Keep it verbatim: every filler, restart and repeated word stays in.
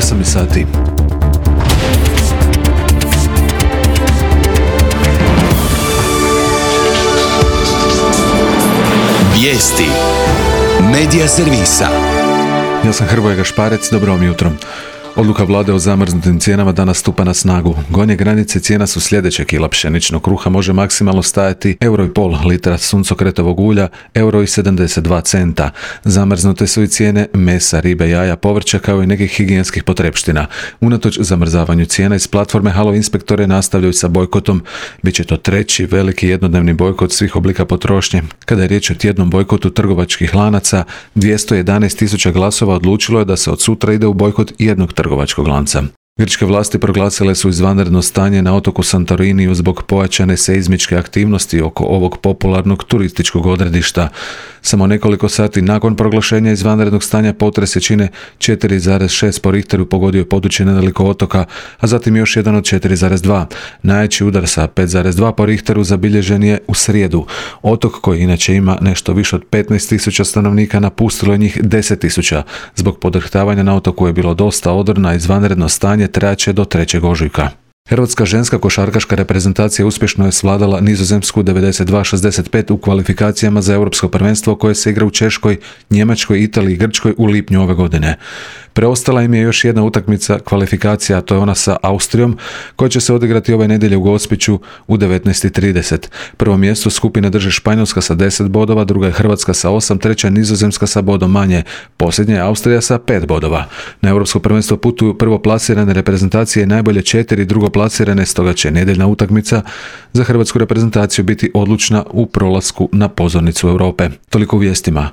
osam je sati. Vijesti Medija servisa. Ja sam Hrvoje Gašparec, dobro vam jutro. Odluka vlade o zamrznutim cijenama danas stupa na snagu. Gornje granice cijena su sljedeće: kila pšeničnog kruha može maksimalno stajati euro i pol, litra suncokretovog ulja euro i sedamdeset dva centa. Zamrznute su i cijene mesa, ribe, jaja, povrća kao i nekih higijenskih potrepština. Unatoč zamrzavanju cijena iz platforme Halo inspektore nastavljaju sa bojkotom. Biće to treći veliki jednodnevni bojkot svih oblika potrošnje. Kada je riječ o tjednom bojkotu trgovačkih lanaca, dvjesto jedanaest tisuća glasova odlučilo je da se od sutra ide u bojkot jednog trgovačkog lanca. Grčke vlasti proglasile su izvanredno stanje na otoku Santoriniju zbog pojačane seizmičke aktivnosti oko ovog popularnog turističkog odredišta. Samo nekoliko sati nakon proglašenja izvanrednog stanja potres jačine četiri zarez šest po Richteru pogodio je područje nedaleko otoka, a zatim još jedan od četiri zarez dva. Najjači udar sa pet zarez dva po Richteru zabilježen je u srijedu. Otok, koji inače ima nešto više od petnaest tisuća stanovnika, napustilo je njih deset tisuća. Zbog podrhtavanja na otoku je bilo dosta odorna, izvanredno stanje trajaće do trećeg ožujka. Hrvatska ženska košarkaška reprezentacija uspješno je svladala Nizozemsku devedeset dva šezdeset pet u kvalifikacijama za europsko prvenstvo koje se igra u Češkoj, Njemačkoj, Italiji i Grčkoj u lipnju ove godine. Preostala im je još jedna utakmica kvalifikacija, a to je ona sa Austrijom, koja će se odigrati ove nedjelje u Gospiću u devetnaest i trideset. Prvo mjesto skupine drže Španjolska sa deset bodova, druga je Hrvatska sa osam, treća Nizozemska sa bodom manje, posljednja je Austrija sa pet bodova. Na europsko prvenstvo putuju prvoplasirane reprezentacije i najbolje četiri drugoplasirane, stoga će nedjeljna utakmica za hrvatsku reprezentaciju biti odlučna u prolasku na pozornicu Europe. Toliko u vijestima.